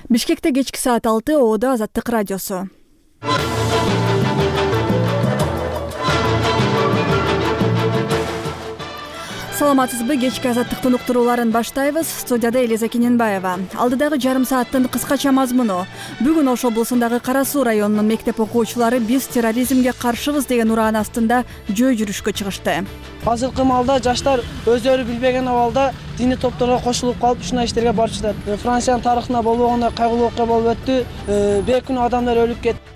Бишкекте кечки саат 6 Оодо Азаттык радиосу. Саламатсызбы, кечки Азаттыктын уктурууларын баштайбыз. Студияда Элиза Кененбаева. Алдыдагы жарым сааттын кыскача мазмуну. Бүгүн Ош облусундагы Кара Суу районунун мектеп окуучулары биз терроризмге каршыбыз деген ураан астында жөө жүрүшкө чыгышты. Азыркы маалда жаштар өздөрү билбеген абалда диний топторго кошулуп калып ушундай иштерге барып жатат. Франциянын тарыхында болбогондой кайгылуу окуя болуп өттү. Бейкүнөө адамдар өлүп кетти.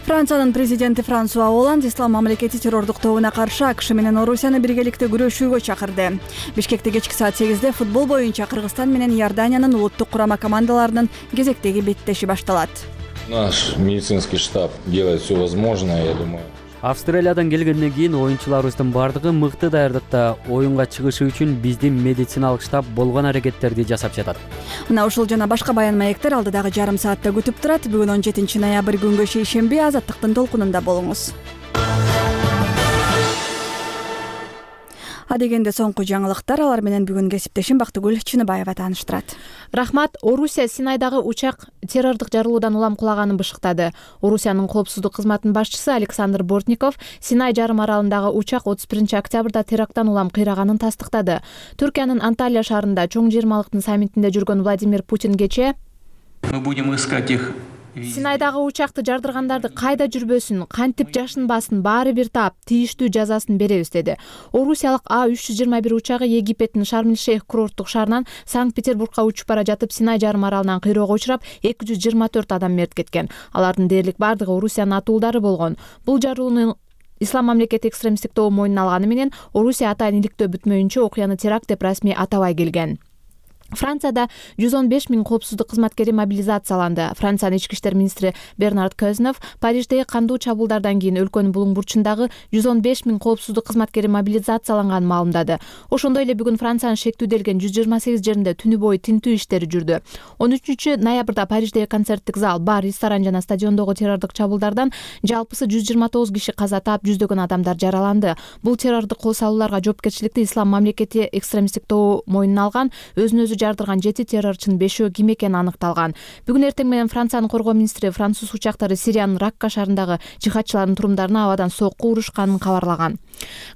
Франциянын президенти Франсуа Олланд ислам мамлекети террордук тобуна каршы АКШ менен Орусияны биргеликте күрөшүүгө чакырды. Бишкекте кечки саат 8-де футбол боюнча Кыргызстан менен Иорданиянын улуттук курама командаларынын кезектеги беттеши башталат. Наш медицинский штаб делает все возможное, я думаю. Австралиядан келгенден кийин оюнчуларыбыздын бардыгы мыкты даярдыкта. Оюнга чыгышы үчүн биздин медициналык штаб болгон аракеттерди жасап жатат. Мына ушул жана башка баян маектер алдыдагы жарым саатта күтүп турат. Бүгүн 17-ноябрь күнгө шейшемби Азаттыктын толкунунда болуңуз. Адегенде соңку жаңылыктар, алар менен бүгүн кесиптешим Бактыгүл Чыныбаева тааныштырат. Рахмат. Орусия Синайдагы учак террордук жарылуудан улам кулаганын бышыктады. Орусиянын коопсуздук кызматынын башчысы Александр Бортников Синай жарым аралындагы учак 31-октябрда теракттан улам кыйраганын тастыктады. Түркиянын Анталия шаарында чоң жыйырмалыктын саммитинде жүргөн Владимир Путин кечээ мы будем искать их. Синайдагы учакты жардыргандарды кайда жүрбөсүн, кантип жашынбасын баары бир таап тийиштүү жазасын беребиз деди. Орусиялык А321 учагы Египеттин Шарм-эль-Шейх курорттук шаарынан Санкт-Петербургка учуп бара жатып Синай жарым аралынан кыйроого учурап 224 адам мерт кеткен. Алардын дээрлик бардыгы Орусиянын атуулдары болгон. Бул жарылууну Ислам мамлекети экстремисттик тобу мойнуна алганы менен Орусия атайын иликтөө бүтмөйүнчө окуяны теракт деп расмий атабай келген. Францияда 115 000 коопсуздук кызматкери мобилизацияланды. Франциянын ички иштер министри Бернард Көзнов Париждеги кандуу чабуулдардан кийин өлкөнүн булуң бурчундагы 115 000 коопсуздук кызматкери мобилизацияланганын маалымдады. Ошондой эле бүгүн Франциянын шектүүделген 128 жеринде түнү бою тинтүү иштери жүрдү. 13-ноябрда Париждеги концерттик зал, бар, ресторан жана стадиондогу террордук чабуулдардан жалпысы 129 киши каза таап, жүздөгөн адамдар жараланды. Бул террордук кол салууларга жоопкерчиликти Ислам мамлекети экстремисттик тобу мойнуна алган. Өзүн жардырган 7 террорчунун 5-өө ким экени аныкталган. Бүгүн эртең менен Франциянын коргоо министри француз учактары Сириянын Ракка шаарындагы жихадчылардын турумдарына абадан сокку урушканын кабарлаган.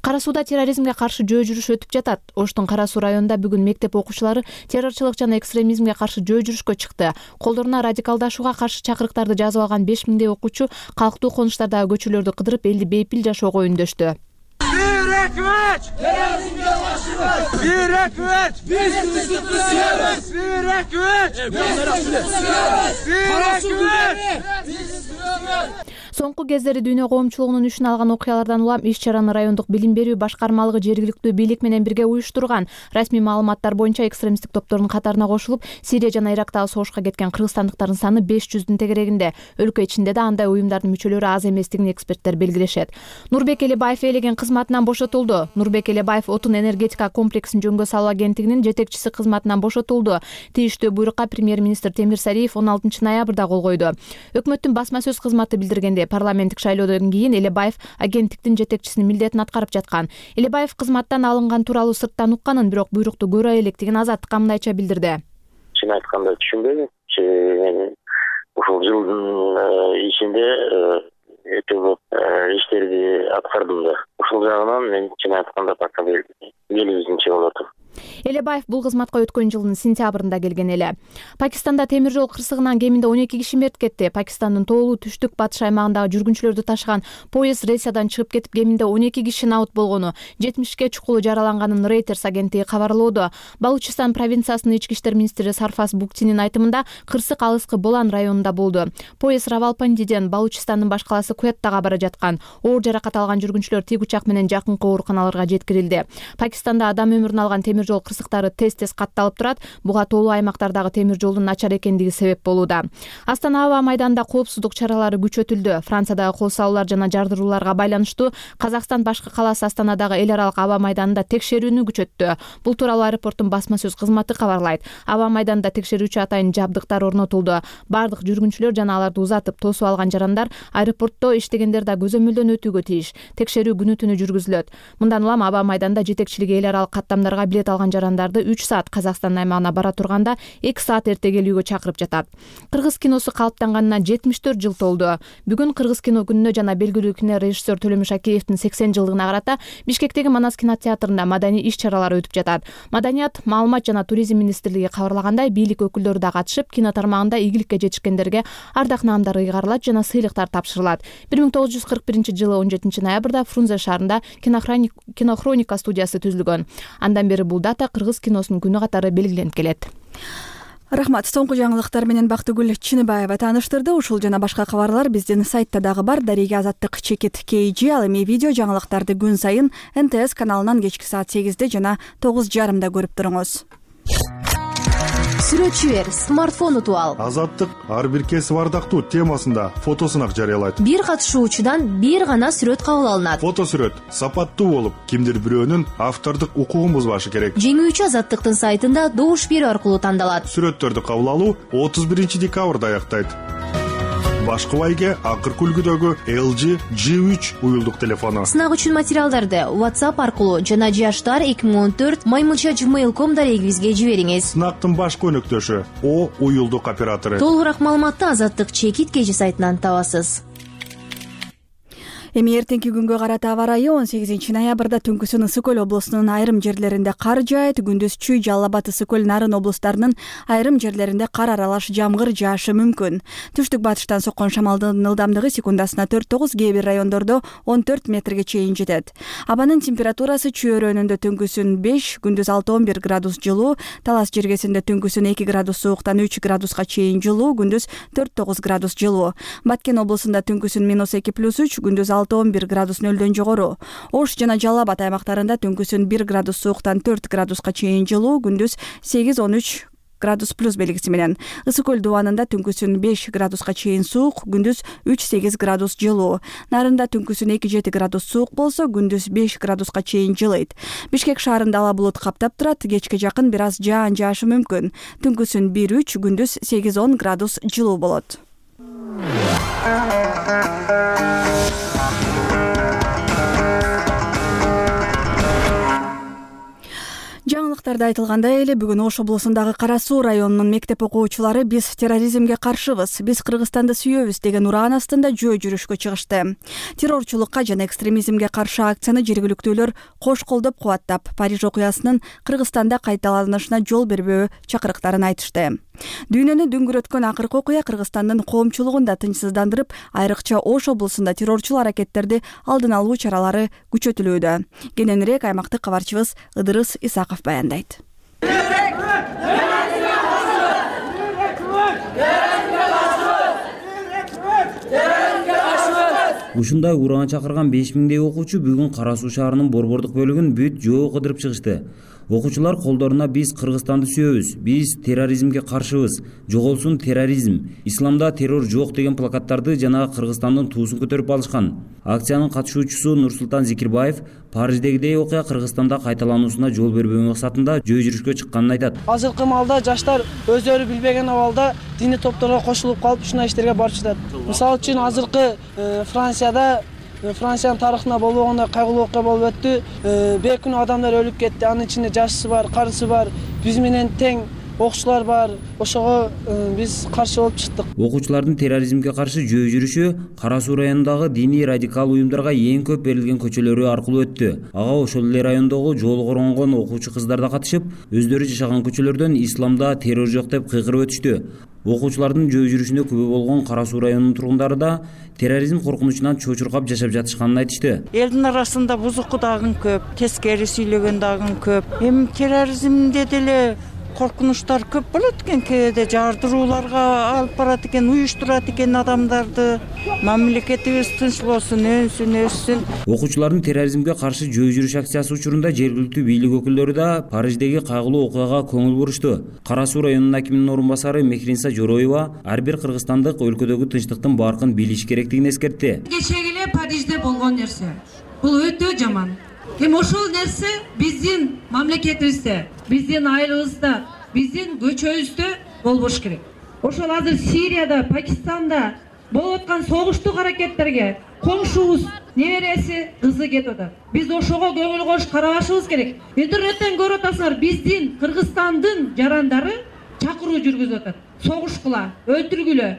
Кара Сууда терроризмге каршы жөө жүрүш өтүп жатат. Оштун Кара Суу районунда бүгүн мектеп окуучулары террорчулук жана экстремизмге каршы жөө жүрүшкө чыкты. Колдоруна радикалдашууга каршы чакырыктарды жазып алган 5000 окуучу калктуу конуштардагы көчөлөрдү кыдырып элди бейпил жашоого үндөштү. Соңку кездери дүйнө коомчулугунун үчүн алган окуялардан улам иш-чараны райондук билим берүү башкармалыгы жергиликтүү бийлик менен бирге уюштурган. Расмий маалыматтар боюнча экстремисттик топтордун катарына кошулуп, Сирия жана Ирактагы согушка кеткен кыргызстандыктардын саны 500-дүн тегерегинде. Өлкө ичинде да андай уюмдардын мүчөлөрү аз эместигин эксперттер белгилешет. Нурбек Элебаев ээлеген кызматынан бошотулду. Нурбек Элебаев отун энергетика комплексин жөнгө салуу агенттигинин жетекчиси кызматынан бошотулду. Тийиштүү буйрукка премьер-министр Темир Сариев 16-ноябрда кол койду. Өкмөттүн басма сөз кызматы билдиргенде, парламенттик шайлоодон кийин Элебаев агенттиктин жетекчисинин милдетин аткарып жаткан. Элебаев кызматтан алынган тууралуу сырттан укканын, бирок буйрукту көрө электигин Азаттыкка мындайча билдирди. Чын айтканда түшүнбөйм. Мен ушул жылдын ичинде өтө көп иштерди аткардым да. Ушул жагынан мен чын айтканда пока белгисинче болуп атам. Элебаев бул кызматка өткөн жылдын сентябрында келген эле. Пакистанда темир жол кырсыгынан кеминде 12 киши мерт кетти. Пакистандын тоолуу түштүк батыш аймагындагы жүргүнчүлөрдү ташыган поезд рельсадан чыгып кетип, кеминде 12 киши наут болгону, 70ке чукулу жараланганын Reuters агенттиги кабарлоодо. Балучистан провинциясынын ички иштер министри Сарфас Буктинин айтымында, кырсык алыскы Болан районунда болду. Поезд Равалпиндиден Балучистандын баш калаасы Куяттага бара жаткан. Оор жаракат алган жүргүнчүлөр тик учак менен жакынкы ооруканаларга жеткирилди. Пакистанда адам өмүрүн алган темир жол кырсыктары тез катталып турат. Буга тоолуу аймактардагы темир жолдун начар экендиги себеп болууда. Астана аба майданында коопсуздук чаралары күчөтүлдү. Франциядагы кол салуулар жана жардырууларга байланыштуу Казакстан башкы калаасы Астанадагы эл аралык аба майданында текшерүүнү күчөттү. Бул тууралуу аэропорттун басма сөз кызматы кабарлайт. Аба майданында текшерүүчү атайын жабдыктар орнотулду. Бардык жүргүнчүлөр жана аларды узатып тосуп алган жарандар аэропортто иштегендер да көзөмөлдөн өтүүгө тийиш. Текшерүү күнү түнү жүргүзүлөт. Мындан улам аба майданда жетекчилиги эл аралык каттамдарга билет кайталган жарандарды 3 саат Казакстан аймагына бара турганда 2 саат эрте келүүгө чакырып жатат. Кыргыз киносу калыптанганына 74 жыл толду. Бүгүн Кыргыз кино күнүнө жана белгилүү кинорежиссер Төлөмүш Акеевдин 80 жылдыгына карата Бишкектеги Манас кинотеатрында маданий иш-чаралар өтүп жатат. Маданият, маалымат жана туризм министрлиги кабарлагандай, бийлик өкүлдөрү да катышып, кино тармагында ийгиликке жетишкендерге ардак наамдар ыйгарылат жана сыйлыктар тапшырылат. 1941 жылы 17 ноябрда Фрунзе шаарында кинохроника студиясы түзүлгөн. Андан бери бул дата Кыргыз киносунун күнү катары белгиленип келет. Рахмат. Соңку жаңылыктар менен Бактыгүл Чыныбаева тааныштырды. Ушул жана башка кабарлар биздин сайтта дагы бар. Дарига Азаттык чекит KG. Ал эми видео жаңылыктарды күн сайын НТС каналынан кечки саат 8-де жана 9:30 көрүп туруңуз. Сүрөтчү бер, смартфон утуп ал. Азаттык ар бир кесип ардактуу темасында фотосунак жарыялайт. Бир катышуучудан бир гана сүрөт кабыл алынат. Фото сүрөт сапаттуу болуп, кимдир бирөөнүн автордук укугун бузбашы керек. Жеңүүчү Азаттыктын сайтында добуш берүү аркылуу тандалат. Сүрөттөрдү кабыл алуу 31 декабрда аяктайт. Башкы байге акыркы үлгүдөгү LG G3 уюлдук телефону. Сынак үчүн материалдарды WhatsApp аркылуу жана jashtar2014@gmail.com дарегибизге жибериңиз. Сынактын башкы өнөктөшү O уюлдук оператору. Толугураак маалыматты Азаттык чекит KG сайтынан табасыз. Эми эртеңки күнгө карата аба ырайы 18 ноябрда түнкүсүн Ысык Көл облусунун айрым жерлеринде кар жаайт, күндүз Чүй, Жалал Абад, Ысык Көл, Нарын облустарынын айрым жерлеринде кар аралаш жамгыр жаашы мүмкүн. Түштүк батыштан соккон шамалдын ылдамдыгы секундасына 4-9, кээ бир райондордо 14 метрге чейин жетет. Абанын температурасы Чүй өрөөнүндө түнкүсүн 5, күндүз 6-11 градус жылуу, Талас жергесинде түнкүсүн 2 градус сууктан 3 градуска чейин жылуу, күндүз 4-9 градус жылуу. Баткен облусунда түнкүсүн -2+3, күндүз 6-11 градус нөлдөн жогору. Ош жана Жалал Абад аймактарында түнкүсүн 1 градус сууктан 4 градуска чейин жылуу, күндүз 8-13 градус плюс белгиси менен. Ысык Көл дубанында түнкүсүн 5 градуска чейин суук, күндүз 3-8 градус жылуу. Нарында түнкүсүн 2-7 градус суук болсо, күндүз 5 градуска чейин жылыйт. Бишкек шаарында ала булут каптап турат, кечке жакын бир аз жаан жаашы мүмкүн. Түнкүсүн 1-3, күндүз 8-10 градус жылуу болот. Жаңылыктарда айтылгандай эле бүгүн Ош облусундагы Кара Суу районунун мектеп окуучулары "Биз терроризмге каршыбыз, биз Кыргызстанды сүйөбүз" деген ураан астында жөө жүрүшкө чыгышты. Террорчулукка жана экстремизмге каршы акцияны жергиликтүүлөр кош колдоп кубаттап, Париж окуясынын Кыргызстанда кайталанышына жол бербөө чакырыктарын айтышты. Дүйнөнү дүңгүрөткөн акыркы окуя Кыргызстандын коомчулугун да тынчсыздандырып, айрыкча Ош облусунда террорчул аракеттерди алдын алуу чаралары күчөтүлүүдө. Кененирээк аймактык кабарчыбыз Ыдырыс Исаков баяндайт. Ушундай ураан чакырган 5000дей окуучу бүгүн Кара Суу шаарынын борбордук бөлүгүн бүт жөө кыдырып чыгышты. Окуучулар колдоруна "Биз Кыргызстанды сүйөбүз, биз терроризмге каршыбыз, жоголсун терроризм, исламда террор жок" деген плакаттарды жана Кыргызстандын туусун көтөрүп алышкан. Акциянын катышуучусу Нурсултан Зикирбаев Париждегидей окуя Кыргызстанда кайталануусуна жол бербөө максатында жөө жүрүшкө чыкканын айтат. Азыркы маалда жаштар өздөрү билбеген абалда диний топторго кошулуп калып ушундай иштерге барып жатат. Мисалы үчүн азыркы Франциянын тарыхында болбогондой кайгылуу окуя болуп өттү. Бейкүнөө адамдар өлүп кетти. Анын ичинде жашысы бар, карысы бар, биз менен тең окуучулар бар. Ошого биз каршы болуп чыктык. Окуучулардын терроризмге каршы жөө жүрүшү Кара Суу районундагы диний радикал уюмдарга эң көп берилген көчөлөрү аркылуу өттү. Ага ошол эле райондогу жолу коронгон окуучу кыздар да катышып, өздөрү жашаган көчөлөрдөн исламда террор жок деп кыйкырып өтүштү. Окуучулардын жөө жүрүшүнө күбө болгон Кара Суу районунун тургундары да терроризм коркунучунан чочуркап жашап жатышканын айтышты. Элдин арасында бузуку дагы көп, тескери сүйлөгөн дагы көп. Эми терроризмде деле коркунучтар көп болот экен, кээде жардырууларга алып барат экен, уюштурат экен адамдарды. Мамлекетибиз тынч болсун, өссүн. Окуучулардын терроризмге каршы жөө жүрүш акциясы учурунда жергиликтүү бийлик өкүлдөрү да Париждеги кайгылуу окуяга көңүл бурушту. Кара Суу районунун акиминин орун басары Мехринса Жороева ар бир кыргызстандык өлкөдөгү тынчтыктын баркын билиш керектигин эскертти. Кечеги эле Парижде болгон нерсе. Бул өтө жаман. Эми ошол нерсе биздин мамлекетибизде, биздин айылыбызда, биздин көчөбүздө болбош керек. Ошол азыр Сирияда, Пакистанда болуп аткан согуштук аракеттерге коңшубуз небереси, кызы кетип атат. Биз ошого көңүл коюп карашыбыз керек. Интернеттен көрүп атасыңар, биздин Кыргызстандын жарандары чакыруу жүргүзүп атат. Согушкула, өлтүргүлө,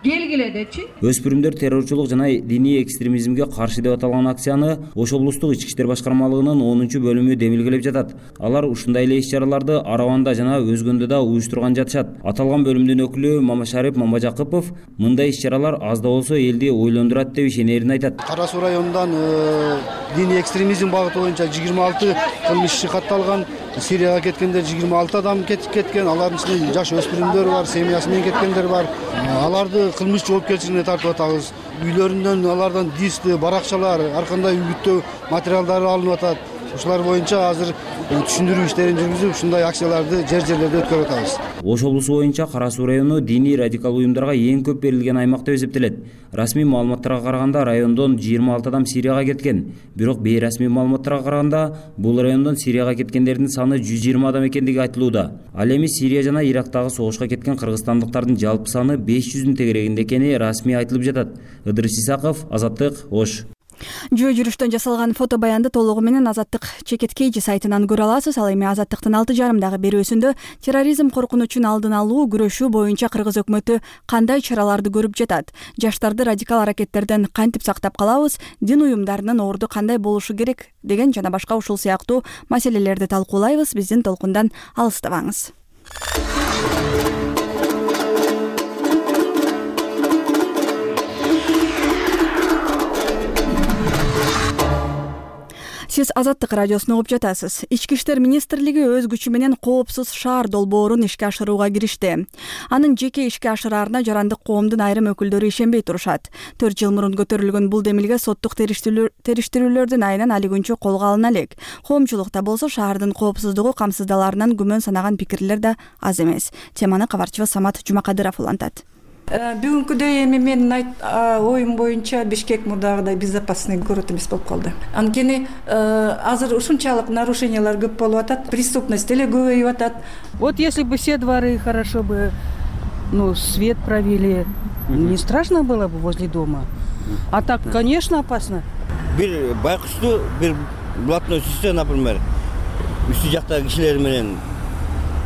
келгиле депчи. Өспүрүмдөр террорчулук жана диний экстремизмге каршы деп аталган акцияны Ош облустук ички иштер башкармалыгынын 10-бөлүмү демилгелеп жатат. Алар ушундай эле иш-чараларды Араванда жана өзгөндө да уюштурган жатышат. Аталган бөлүмдүн өкүлү Мамашарип Мамажакыпов мындай иш-чаралар аз да болсо элди ойлондурат деп ишенерин айтат. Кара Суу районунан диний экстремизм багыты боюнча 26 кылмыш иши катталган. Сирияга кеткендер 26 адам кетип кеткен. Алардын ичинде жаш өспүрүмдөр бар, семьясы менен кеткендер бар. Аларды кылмыш жоопкерчилигине тартып атабыз. Үйлөрүнөн алардан дисти, баракчалар, ар кандай үгүттөө материалдары алынып атат. Ушулар боюнча азыр түшүндүрүү иштерин жүргүзүп, ушундай акцияларды жер-жерлерде өткөрүп атабыз. Ош облусу боюнча Кара Суу району диний радикал уюмдарга эң көп берилген аймак деп эсептелет. Расмий маалыматтарга караганда райондон 26 адам Сирияга кеткен. Бирок бейрасмий маалыматтарга караганда бул райондон Сирияга кеткендердин саны 120 адам экендиги айтылууда. Ал эми Сирия жана Ирактагы согушка кеткен кыргызстандыктардын жалпы саны 500-дүн тегерегинде экени расмий айтылып жатат. Ыдырыс Исаков, Азаттык, Ош. Жөө жүрүштөн жасалган фото баянды толугу менен Азаттык чекиткейжи сайтынан көрө аласыз. Ал эми Азаттыктын 6,5 берүүсүндө терроризм коркунучун алдын алуу, күрөшүү боюнча кыргыз өкмөтү кандай чараларды көрүп жатат? Жаштарды радикал аракеттерден кантип сактап калабыз? Дин уюмдарынын орду кандай болушу керек деген жана башка ушул сыяктуу маселелерди талкуулайбыз. Биздин толкундан алыстабаңыз. Сиз Азаттык радиосун угуп жатасыз. Ички иштер министрлиги өз күчү менен коопсуз шаар долбоорун ишке ашырууга киришти. Анын жеке ишке ашыраарына жарандык коомдун айрым өкүлдөрү ишенбей турушат. 4 жыл мурун көтөрүлгөн бул демилге соттук териштирүүлөрдүн айынан али күнчө колго алына элек. Коомчулукта болсо шаардын коопсуздугу камсыздаларынан күмөн санаган пикирлер да аз эмес. Теманы кабарчыбыз Самат Жумакадыров улантат. Бүгүнкүдөй эми менин оюм боюнча Бишкек мурдагыдай безопасный город эмес болуп калды. Анткени азыр ушунчалык нарушениялар көп болуп атат, преступность деле көбөйүп атат. Вот если бы все дворы хорошо бы, свет провели, не страшно было бы возле дома. А так, конечно, опасно. Бир байкушту, бир блатной сүзсө, например, үстү жактагы кишилер менен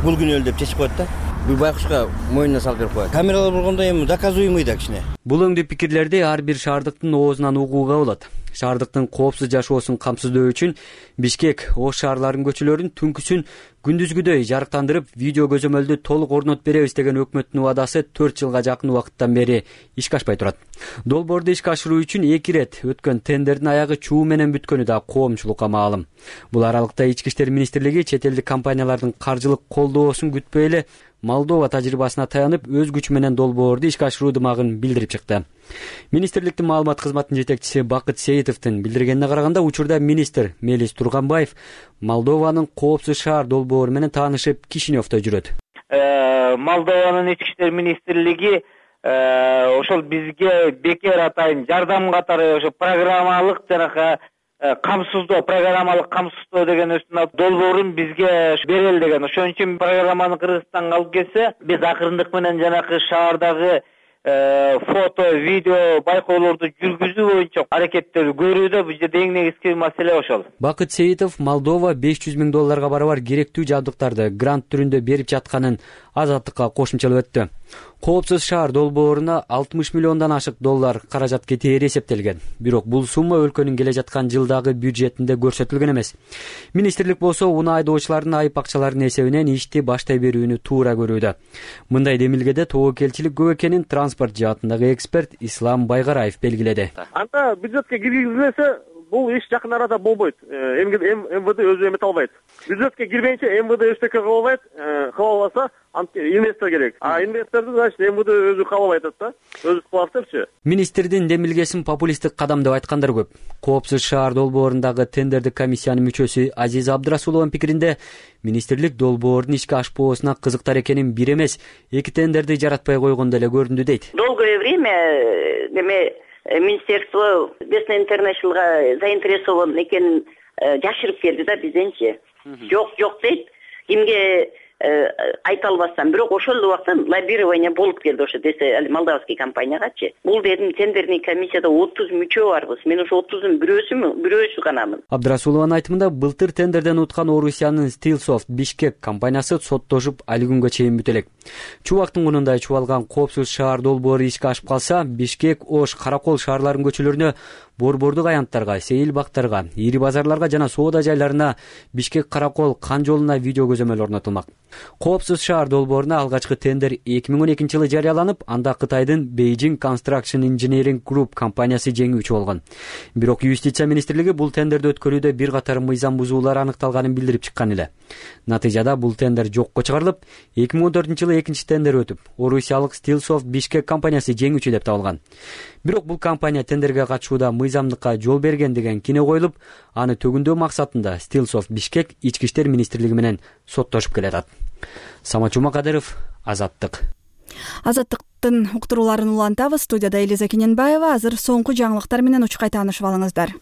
бул күнү өл деп чечип коет да. Бул байкушка мойнуна салып берип коет. Камералар болгондо эми доказуемый да кичине. Бул өңдүү пикирлерди ар бир шаардыктын оозунан угууга болот. Шаардыктын коопсуз жашоосун камсыздоо үчүн Бишкек Ош шаарларынын көчөлөрүн түнкүсүн күндүзгүдөй жарыктандырып, видео көзөмөлдү толук орнотуп беребиз деген өкмөттүн убадасы 4 жылга жакын убакыттан бери ишке ашпай турат. Долбоорду ишке ашыруу үчүн 2 ирет өткөн тендердин аягы чуу менен бүткөнү да коомчулукка маалым. Бул аралыкта Ички иштер министрлиги чет элдик компаниялардын каржылык колдоосун күтпөй эле Молдова тажрыйбасына таянып, өз күчү менен долбоорду ишке ашыруу дымагын билдирип чыкты. Министрликтин маалымат кызматынын жетекчиси Бакыт Сейитовдун билдиргенине караганда, учурда министр Мелис Турганбаев Молдованын коопсуз шаар долбоору менен таанышып, Кишиневдо жүрөт. Молдованын ички иштер министрлиги ошол бизге бекер атайын жардам катары ошо программалык жанагы программалык камсыздоо деген долбоорун бизге берели деген. Ошон үчүн программаны Кыргызстанга алып келсе, биз акырындык менен жанагы шаардагы фото, видео байкоолорду жүргүзүү боюнча аракеттер көрүүдө бул жерде эң негизги маселе ошол. Бакыт Сейитов Молдова $500 000 барабар керектүү жабдыктарды грант түрүндө берип жатканын Азаттыкка кошумчалап өттү. Коопсуз шаар долбооруна $60 миллиондон ашык доллар каражат кетери эсептелген. Бирок бул сумма өлкөнүн келе жаткан жылдагы бюджетинде көрсөтүлгөн эмес. Министрлик болсо унаа айдоочулардын айып акчаларынын эсебинен ишти баштай берүүнү туура көрүүдө. Мындай демилгеде тобокелчилик көп экенин транспорт жаатындагы эксперт Ислам Байгараев белгиледи. Анда бюджетке киргизилсе, бул иш жакын арада болбойт. МВД өзү эмете албайт. Бюджетке кирбейинче МВД эчтеке кыла албайт. Кыла албаса, инвестор керек. Инвесторду значит МВД өзү каалап айтат да. Өзү кылат депчи. Министрдин демилгесин популисттик кадам деп айткандар көп. Коопсуз шаар долбоорундагы тендердик комиссиянын мүчөсү Азиза Абдырасулованын пикиринде, министрлик долбоордун ишке ашпоосуна кызыктар экенин бир эмес, 2 тендерди жаратпай койгондо эле көрүндү дейт. Долгое время Министерство Western International'га заинтересован экенин жашырып келди да бизденчи. Жок дейт. Кимге айта албастан, бирок ошол убакта лоббирование болуп келди ошо десе молдавский компаниягачы. Бул дедим тендерный комиссияда 30 мүчө барбыз. Мен ошо 30-дун бирөөсү ганамын. Абдрасулованын айтымында былтыр тендерден уткан Орусиянын Stillsoft Бишкек компаниясы соттошуп али күнгө чейин бүтө элек. Чубактын кунундай чубалган коопсуз шаар долбоору ишке ашып калса, Бишкек, Ош, Каракол шаарларынын көчөлөрүнө, борбордук аянттарга, сейил бактарга, ири базарларга жана соода жайларына Бишкек Каракол кан жолуна видео көзөмөл орнотулмак. Коопсуз шаар долбооруна алгачкы тендер 2012-жылы жарыяланып, анда Кытайдын Beijing Construction Engineering Group компаниясы жеңүүчү болгон. Бирок Юстиция министрлиги бул тендерди өткөрүүдө бир катар мыйзам бузуулар аныкталганын билдирип чыккан эле. Натыйжада бул тендер жокко чыгарылып, 2014-жылы экинчи тендер өтүп, орусиялык Stillsoft Бишкек компаниясы жеңүүчү деп табылган. Бирок бул компания тендерге катышууда мыйзамдыкка жол берген деген кине коюлуп, аны төгүндөө максатында Stillsoft Бишкек ички иштер министрлиги менен соттошуп келатат. Самат Жумакадыров, Азаттык. Азаттыктын уктурууларын улантабыз. Студияда Элиза Кененбаева. Азыр соңку жаңылыктар менен учкай таанышып алыңыздар.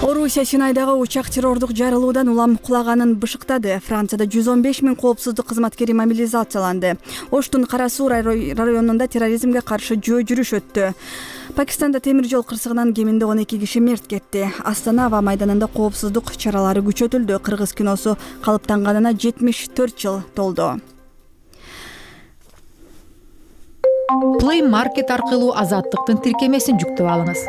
Орусия Синайдагы учак террордук жарылуудан улам кулаганын бышыктады. Францияда 115 000 коопсуздук кызматкери мобилизацияланды. Оштун Кара Суу районунда терроризмге каршы жөө жүрүш өттү. Пакистанда темир жол кырсыгынан кеминде 12 киши мерт кетти. Астана аба майданында коопсуздук чаралары күчөтүлдү. Кыргыз киносу калыптанганына 74 жыл толду. Play Market аркылуу Азаттыктын тиркемесин жүктөп алыңыз.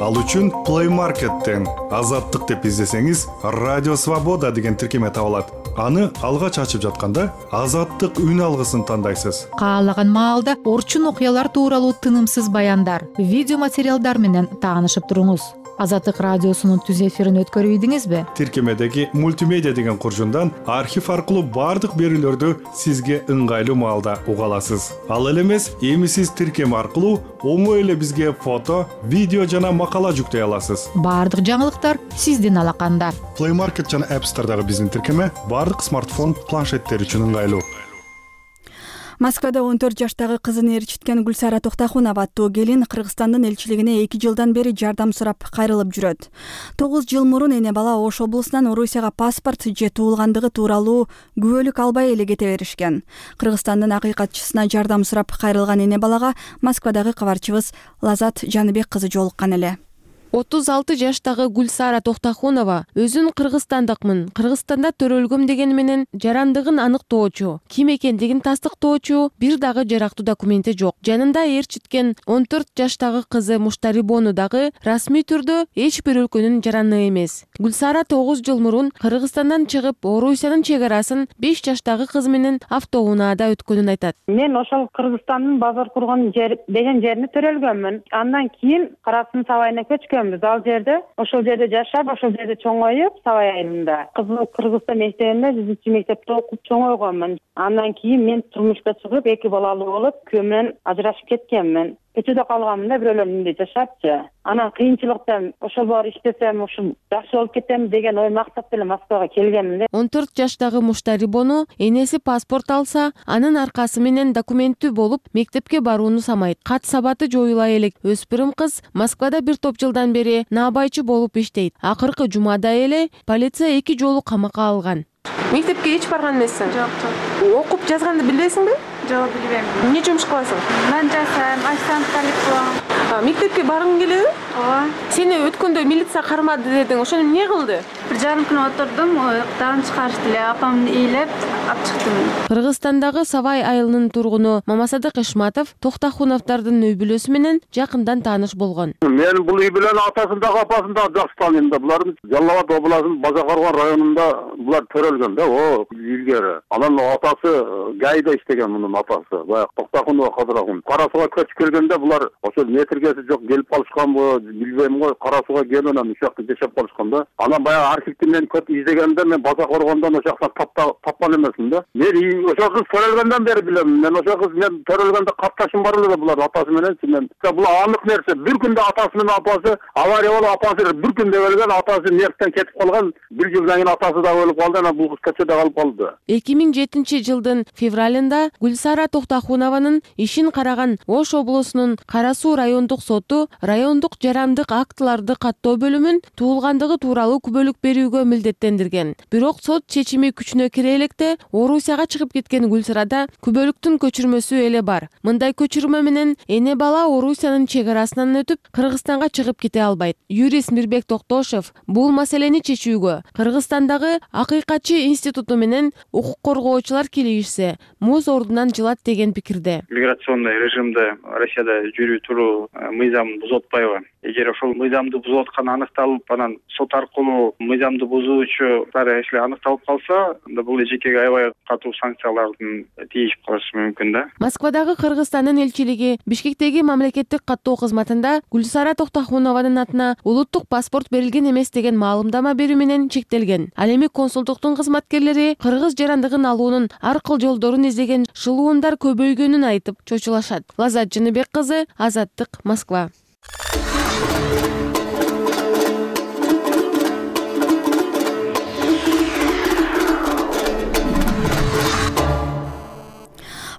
Ал үчүн Play Market'тен Азаттык деп издесеңиз, Радио Свобода деген тиркеме табылат. Аны алгач ачып жатканда Азаттык үн алгысын тандайсыз. Каалаган маалда орчун окуялар тууралуу тынымсыз баяндар, видео материалдар менен таанышып туруңуз. Азаттык радиосунун түз эфирин өткөрүп ийдиңизби? Тиркемедеги мультимедиа деген куржундан архив аркылуу бардык берүүлөрдү сизге ыңгайлуу маалда уга аласыз. Ал эле эмес, эми сиз тиркеме аркылуу оңой эле бизге фото, видео жана макала жүктөй аласыз. Бардык жаңылыктар сиздин алаканда. Play Market жана App Store'дагы биздин тиркеме бардык смартфон, планшеттер үчүн ыңгайлуу. Москвада 14 жаштагы кызын ээрчиткен Гүлсара Токтахунова аттуу келин Кыргызстандын элчилигине 2 жылдан бери жардам сурап кайрылып жүрөт. 9 жыл мурун эне бала Ош облусунан Орусияга паспорт же туулгандыгы тууралуу күбөлүк албай эле кете беришкен. Кыргызстандын акыйкатчысына жардам сурап кайрылган эне балага Москвадагы кабарчыбыз Лазат Жаныбек кызы жолуккан эле. 36 жаштагы Гүлсара Токтахунова өзүн кыргызстандыкмын, Кыргызстанда төрөлгөм дегени менен жарандыгын аныктоочу, ким экендигин тастыктоочу бир дагы жарактуу документи жок. Жанында ээрчиткен 14 жаштагы кызы Муштарибону дагы расмий түрдө эч бир өлкөнүн жараны эмес. Гүлсара 9 жыл мурун Кыргызстандан чыгып, Орусиянын чек арасын 5 жаштагы кызы менен автоунаада өткөнүн айтат. Мен ошол Кыргызстандын базар курган деген жерине төрөлгөнмүн. Андан кийин Карасын сабайына көчкөн. Ал жерде, ошол жерде жашап, ошол жерде чоңоюп, сабай айылында. Кызым Кыргызстан мектебинде 100 мектепте окуп чоңойгонмун. Андан кийин мен турмушка чыгып, 2 балалуу болуп, күйөөм менен ажырашып кеткенмин. Көчөдө калганмын да, бирөөлөрдүн үйүндө жашапчы. Анан кыйынчылыктан ошол бар иштесем, ушул жакшы болуп кетем деген ой максат менен Москвага келгенмин. 14 жаштагы Муштарибону энеси паспорт алса, анын аркасы менен документтүү болуп, мектепке барууну самайт. Кат сабаты жоюла элек өспүрүм кыз Москвада бир топ жылдан бери наабайчы болуп иштейт. Акыркы жумада эле полиция 2 жолу камакка алган. Мектепке эч барган эмессиң? Жок. Окуп жазганды билесиңби? Жок, билбейм. Эмне жумуш кыласың? Мен жасайм, ассистенттик кылам. Мектепке баргың келеби? Ооба. Сени өткөндө милиция кармады дедиң. Ошону эмне кылды? Бир жарым күн отурдум, оюктан чыгарышты эле, апамды ыйлап алып чыктым. Кыргызстандагы Сабай айылынын тургуну Мамасадык Ишматов Токтахуновдордун үй бүлөсү менен жакындан тааныш болгон. Мен бул үй бүлөнүн атасын дагы апасын дагы жакшы тааныйм да. Булардын Жалал Абад областынын Базакарган районунда булар төрөлгөн да, илгери. Анан атасы Гайда иштеген мунун атасы. Баягы Токтахунова Кадырахун. Кара Сууга көчүп келгенде булар ошол метргеси жок келип калышканбы, билбейм го. Кара Сууга келип анан ушул жакта жашап калышкан да. Анан баягы архивти менен көп издегенде мен Базакаргандан ошол жактан тапкан эмесмин да. Мен ошол кыз төрөлгөндөн бери билем. Мен ошол кыз мен төрөлгөндө катташым бар эле булар атасы менен. Мен бул анык нерсе. Бир күндө атасы менен апасы авария болуп, апасы бир күндө өлгөн, атасы нервтен кетип калган. Бир жылдан кийин атасы да өлүп калды, анан бул кыз көчөдө калып калды. 2007 жылдын февралында Гүлсара Токтахунованын ишин караган Ош облусунун Кара Суу райондук коомдук соту райондук жарандык актыларды каттоо бөлүмүн туулгандыгы тууралуу күбөлүк берүүгө милдеттендирген. Бирок сот чечими күчүнө кире электе Орусияга чыгып кеткен Гүлсарада күбөлүктүн көчүрмөсү эле бар. Мындай көчүрмө менен эне бала Орусиянын чек арасынан өтүп Кыргызстанга чыгып кете албайт. Юрист Мирбек Токтошев бул маселени чечүүгө Кыргызстандагы Акыйкатчы институту менен укук коргоочулар кийлигишсе, муз ордунан жылат деген пикирде. Миграционный режимде Россияда жүрүү туруу мыйзамын бузуп атпайбы? Эгер ошол мыйзамды бузуп атканы аныкталып, анан сот аркылуу мыйзамды бузуучулар если аныкталып калса, анда бул эжекеге аябай катуу санкциялардын тийишип калышы мүмкүн да. Москвадагы Кыргызстандын элчилиги Бишкектеги мамлекеттик каттоо кызматында Гүлсара Токтохунованын атына улуттук паспорт берилген эмес деген маалымдама берүү менен чектелген. Ал эми консулдуктун кызматкерлери кыргыз жарандыгын алуунун ар кыл жолдорун издеген шылуундар көбөйгөнүн айтып чочулашат. Лазат Жыныбек кызы, Азаттык, Москва.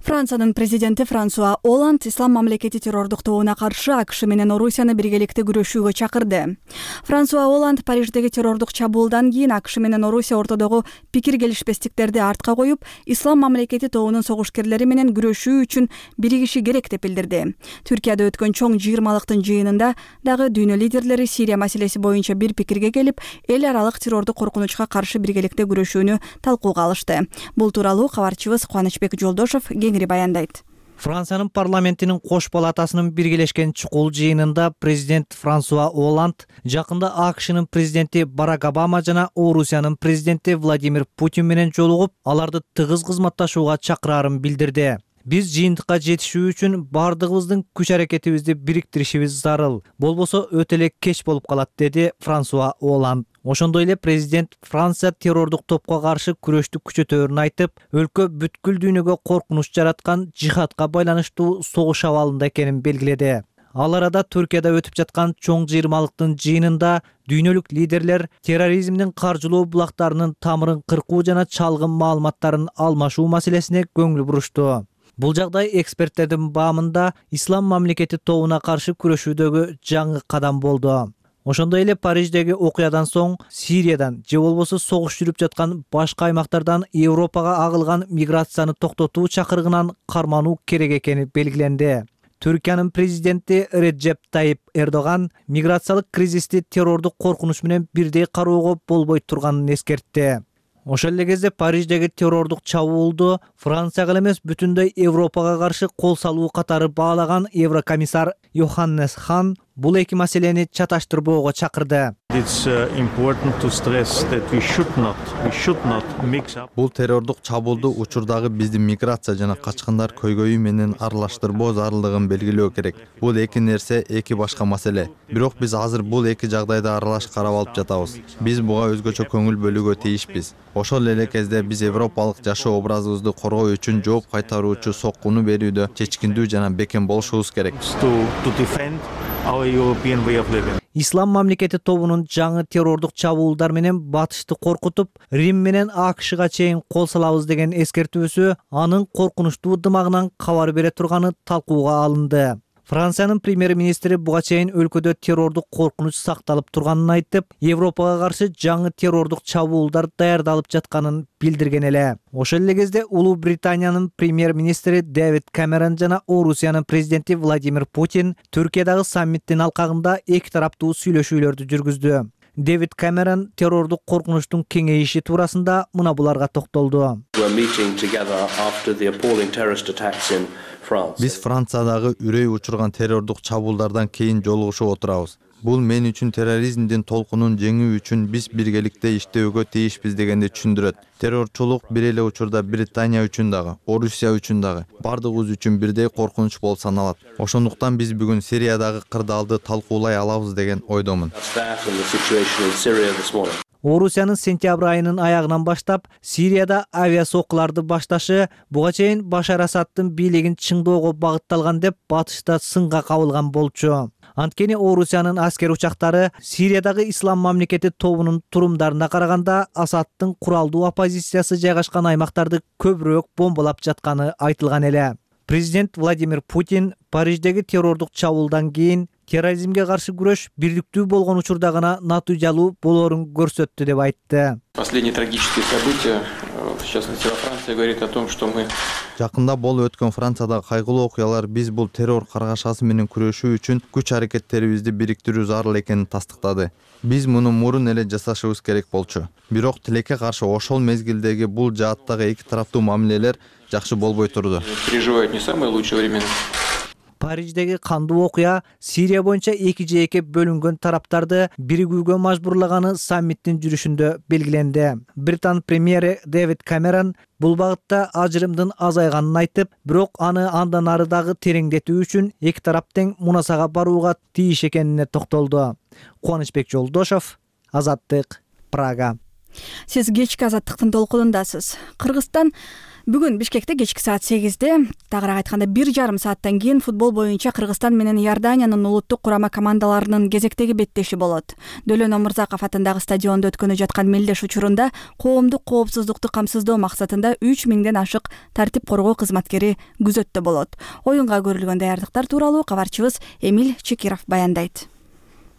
Франциянын президенти Франсуа Оланд ислам мамлекети террордук тобуна каршы АКШ менен Орусияны биргеликте күрөшүүгө чакырды. Франсуа Оланд Париждеги террордук чабуулдан кийин АКШ менен Орусия ортодогу пикир келишпестиктерди артка коюп, ислам мамлекети тобунун согушкерлери менен күрөшүү үчүн биригиши керек деп билдирди. Түркияда өткөн чоң 20-лыктын жыйынында дагы дүйнө лидерлери Сирия маселеси боюнча бир пикирге келип, эл аралык террордук коркунучка каршы биргеликте күрөшүүнү талкууга алышты. Бул тууралуу кабарчыбыз Кубанычбек Жолдошов кеңири баяндайт. Франциянын парламентинин кош палатасынын биргелешкен чукул жыйынында президент Франсуа Оланд жакында АКШнын президенти Барак Обама жана Орусиянын президенти Владимир Путин менен жолугуп, аларды тыгыз кызматташууга чакырарын билдирди. Биз жыйынтыкка жетишүү үчүн бардыгыбыздын күч-аракетибизди бириктиришибиз зарыл. Болбосо өтө эле кеч болуп калат, деди Франсуа Оланд. Ошондой эле президент Франция террордук топко каршы күрөштү күчөтөөрүн айтып, өлкө бүткүл дүйнөгө коркунуч жараткан жихадка байланыштуу согуш абалында экенин белгиледи. Ал арада Түркияда өтүп жаткан чоң 20-лыктын жыйынында дүйнөлүк лидерлер терроризмдин каржылоо булактарынын тамырын кыркуу жана чалгын маалыматтарын алмашуу маселесине көңүл бурушту. Бул жагдай эксперттердин баамында ислам мамлекети тобуна каршы күрөшүүдөгү жаңы кадам болду. Ошондой эле Париждеги окуядан соң Сириядан же болбосо согуш жүрүп жаткан башка аймактардан Европага агылган миграцияны токтотуу чакырыгынан кармануу керек экени белгиленди. Түркиянын президенти Реджеп Тайип Эрдоган миграциялык кризисти террордук коркунуч менен бирдей кароого болбой турганын эскертти. Ошол эле кезде Париждеги террордук чабуулду Францияга эмес бүтүндөй Европага каршы кол салуу катары баалаган Еврокомиссар Йоханнес Хан бул эки маселени чаташтырбоого чакырды. Бул террордук чабуулду учурдагы биздин миграция жана качкындар көйгөйү менен аралаштырбоо зарылдыгын белгилөө керек. Бул эки нерсе, эки башка маселе. Бирок биз азыр бул эки жагдайды аралаш карап алып жатабыз. Биз буга өзгөчө көңүл бөлүүгө тийишпиз. Ошол эле кезде биз европалык жашоо образыбызды коргоо үчүн жооп кайтаруучу соккуну берүүдө чечкиндүү жана бекем болушубуз керек. Ислам мамлекети тобунун жаңы террордук чабуулдар менен батышты коркутуп, Рим менен АКШга чейин кол салабыз деген эскертүүсү анын коркунучтуу дымагынан кабар бере турганы талкууга алынды. Франциянын премьер-министри буга чейин өлкөдө террордук коркунуч сакталып турганын айтып, Европага каршы жаңы террордук чабуулдар даярдалып жатканын билдирген эле. Ошол эле кезде Улуу Британиянын премьер-министри Дэвид Камерон жана Орусиянын президенти Владимир Путин Түркиядагы саммиттин алкагында эки тараптуу сүйлөшүүлөрдү жүргүздү. Дэвид Камерон террордук коркунучтун кеңейиши туурасында мына буларга токтолду. Биз Франциядагы үрөй учурган террордук чабуулдардан кийин жолугушуп отурабыз. Бул мен үчүн терроризмдин толкунун жеңүү үчүн биз биргеликте иштөөгө тийишпиз дегенди түшүндүрөт. Террорчулук бир эле учурда Британия үчүн дагы, Орусия үчүн дагы, бардыгыбыз үчүн бирдей коркунуч болуп саналат. Ошондуктан биз бүгүн Сириядагы кырдаалды талкуулай алабыз деген ойдомун. Орусиянын сентябрь айынын аягынан баштап Сирияда авиасокуларды башташы буга чейин Башар Асадтын бийлигин чыңдоого багытталган деп батышта сынга кабылган болчу. Анткени Орусиянын аскер учактары Сириядагы ислам мамлекети тобунун турумдарына караганда Асадтын куралдуу оппозициясы жайгашкан аймактарды көбүрөөк бомбалап жатканы айтылган эле. Президент Владимир Путин Париждеги террордук чабуулдан кийин терроризмге каршы күрөш бирдиктүү болгон учурда гана натыйжалуу болоорун көрсөттү деп айтты. Последние трагические события, в частности во Франции, говорит о том, что мы Жакында болуп өткөн Франциядагы кайгылуу окуялар биз бул террор каргашасы менен күрөшүү үчүн күч аракеттерибизди бириктирүү зарыл экенин тастыктады. Биз муну мурун эле жасашыбыз керек болчу. Бирок тилекке каршы ошол мезгилдеги бул жааттагы эки тараптуу мамилелер жакшы болбой турду. Переживают не самые лучшие времена. Париждеги кандуу окуя Сирия боюнча эки жээкке бөлүнгөн тараптарды биригүүгө мажбурлаганы саммиттин жүрүшүндө белгиленди. Британ премьери Дэвид Камерон бул багытта ажырымдын азайганын айтып, бирок аны андан ары дагы тереңдетүү үчүн эки тарап тең мунасага барууга тийиш экенине токтолду. Кубанычбек Жолдошов, Азаттык, Прага. Сиз кечки Азаттыктын толкунундасыз. Кыргызстан бүгүн Бишкекте кечки саат 8-де, тагыраак айтканда 1,5 сааттан кийин футбол боюнча Кыргызстан менен Иорданиянын улуттук курама командаларынын кезектеги беттеши болот. Дөлөн Омурзаков атындагы стадиондо өткөнү жаткан мелдеш учурунда коомдук коопсуздукту камсыздоо максатында 3000ден ашык тартип коргоо кызматкери күзөттө болот. Оюнга көрүлгөн даярдыктар тууралуу кабарчыбыз Эмиль Чекиров баяндайт.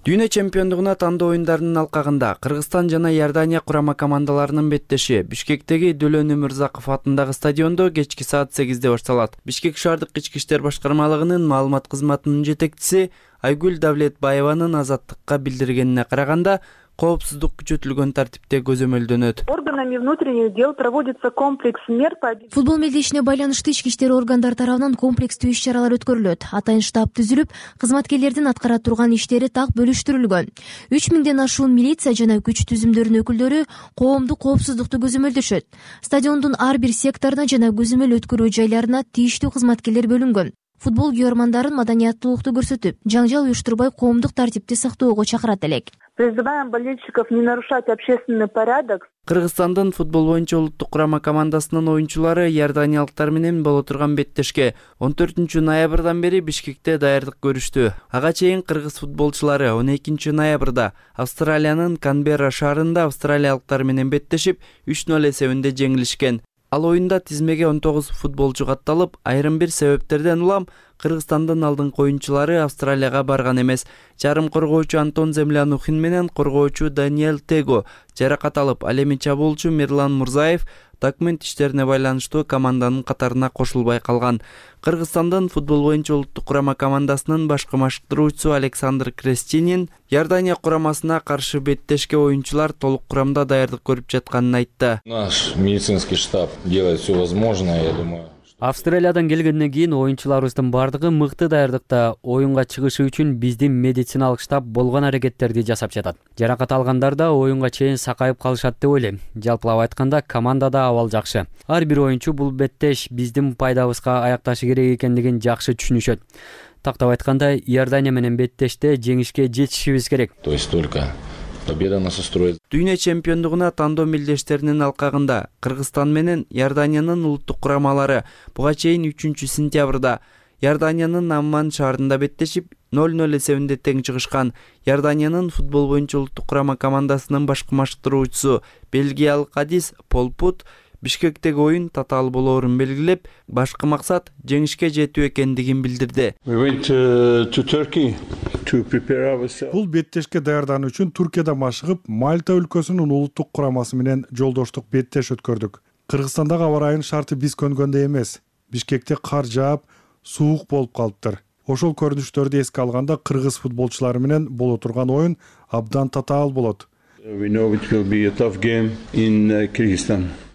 Дүйнө чемпиондугуна тандоо оюндарынын алкагында Кыргызстан жана Иордания курама командаларынын беттеши Бишкектеги Дөлөн Өмүрзаков атындагы стадиондо кечки саат 8-де башталат. Бишкек шаардык ички иштер башкармалыгынын маалымат кызматынын жетекчиси Айгүл Давлетбаеванын Азаттыкка билдиргенине караганда, коопсуздук күчөтүлгөн тартипте көзөмөлдөнөт. Органами внутренних дел проводится комплекс мер по Футбол мелдешине байланыштуу ички иштер органдары тарабынан комплекстүү иш-чаралар өткөрүлөт. Атайын штаб түзүлүп, кызматкерлердин аткара турган иштери так бөлүштүрүлгөн. 3000ден ашуун милиция жана күч түзүмдөрүнүн өкүлдөрү коомдук коопсуздукту көзөмөлдөшөт. Стадиондун ар бир секторуна жана көзөмөл өткөрүү жайларына тийиштүү кызматкерлер бөлүнгөн. Футбол күйөрмандарын маданияттуулукту көрсөтүп, жаңжал уюштурбай коомдук тартипти сактоого чакырат элек. Призываем болельщиков не нарушать общественный порядок. Кыргызстандын футбол боюнча улуттук курама командасынын оюнчулары иорданиялыктар менен боло турган беттешке 14 ноябрдан бери Бишкекте даярдык көрүштү. Ага чейин кыргыз футболчулары 12 ноябрда Австралиянын Канберра шаарында австралиялыктар менен беттешип 3-0 эсебинде жеңилишкен. Ал оюнда тизмеге 19 футболчу катталып, айрым бир себептерден улам Кыргызстандын алдыңкы оюнчулары Австралияга барган эмес. Жарым коргоочу Антон Землянухин менен коргоочу Даниэль Tego жаракат алып, ал эми чабуулчу Мирлан Мурзаев документ иштерине байланыштуу команданын катарына кошулбай калган. Кыргызстандын футбол боюнча улуттук курама командасынын башкы машыктыруучусу Александр Крестинин Иордания курамасына каршы беттешке оюнчулар толук курамда даярдык көрүп жатканын айтты. Наш медицинский штаб делает все возможное, я думаю. Австралиядан келгенден кийин оюнчуларыбыздын бардыгы мыкты даярдыкта. Оюнга чыгышы үчүн биздин медициналык штаб болгон аракеттерди жасап жатат. Жаракат алгандар да оюнга чейин сакайып калышат деп ойлойм. Жалпылап айтканда командада абал жакшы. Ар бир оюнчу бул беттеш биздин пайдабызга аякташы керек экендигин жакшы түшүнүшөт. Тактап айтканда, Иордания менен беттеште жеңишке жетишибиз керек. То есть только победа нас устроит. Дүйнө чемпиондугуна тандоо мелдештеринин алкагында Кыргызстан менен Иорданиянын улуттук курамалары буга чейин 3-сентябрда Иорданиянын Амман шаарында беттешип 0-0 эсебинде тең чыгышкан. Иорданиянын футбол боюнча улуттук курама командасынын башкы машыктыруучусу бельгиялык Адис Полпут Бишкектеги оюн татаал болоорун белгилеп, башкы максат жеңишке жетүү экендигин билдирди. Бул беттешке даярдануу үчүн Туркияда машыгып, Мальта өлкөсүнүн улуттук курамасы менен жолдоштук беттеш өткөрдүк. Кыргызстандагы аба ырайынын шарты биз көнгөндөй эмес. Бишкекте кар жаап, суук болуп калыптыр. Ошол көрүнүштөрдү эске алганда кыргыз футболчулары менен боло турган оюн абдан татаал болот.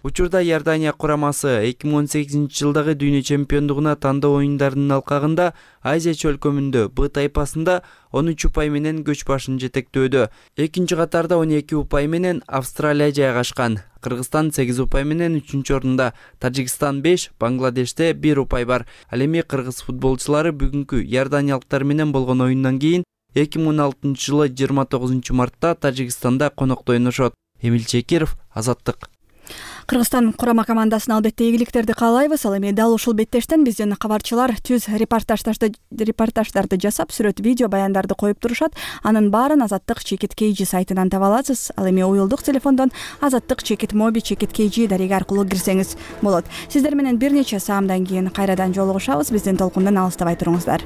Учурда Иордания курамасы 2018-жылдагы дүйнө чемпиондугуна тандоо оюндарынын алкагында Азия чөлкөмүндө Б тайпасында 13 упай менен көч башын жетектөөдө. Экинчи катарда 12 упай менен Австралия жайгашкан. Кыргызстан 8 упай менен 3-чү орунда, Тажикстан 5, Бангладеште 1 упай бар. Ал эми кыргыз футболчулары бүгүнкү иорданиялыктар менен болгон оюндан кийин 2016-жылы 29 мартта Тажикстанда конокто ойношот. Эмиль Чекиров, Азаттык. Кыргызстан курама командасына албетте ийгиликтерди каалайбыз. Ал эми дал ушул беттештен биздин кабарчылар түз репортаждарды жасап, сүрөт, видео, баяндарды коюп турушат. Анын баарын Азаттык /KG сайтынан таба аласыз. Ал эми уюлдук телефондон Азаттык /Mobi /KG дареги аркылуу кирсеңиз болот. Сиздер менен бир нече саамдан кийин кайрадан жолугушабыз. Биздин толкундан алыстабай туруңуздар.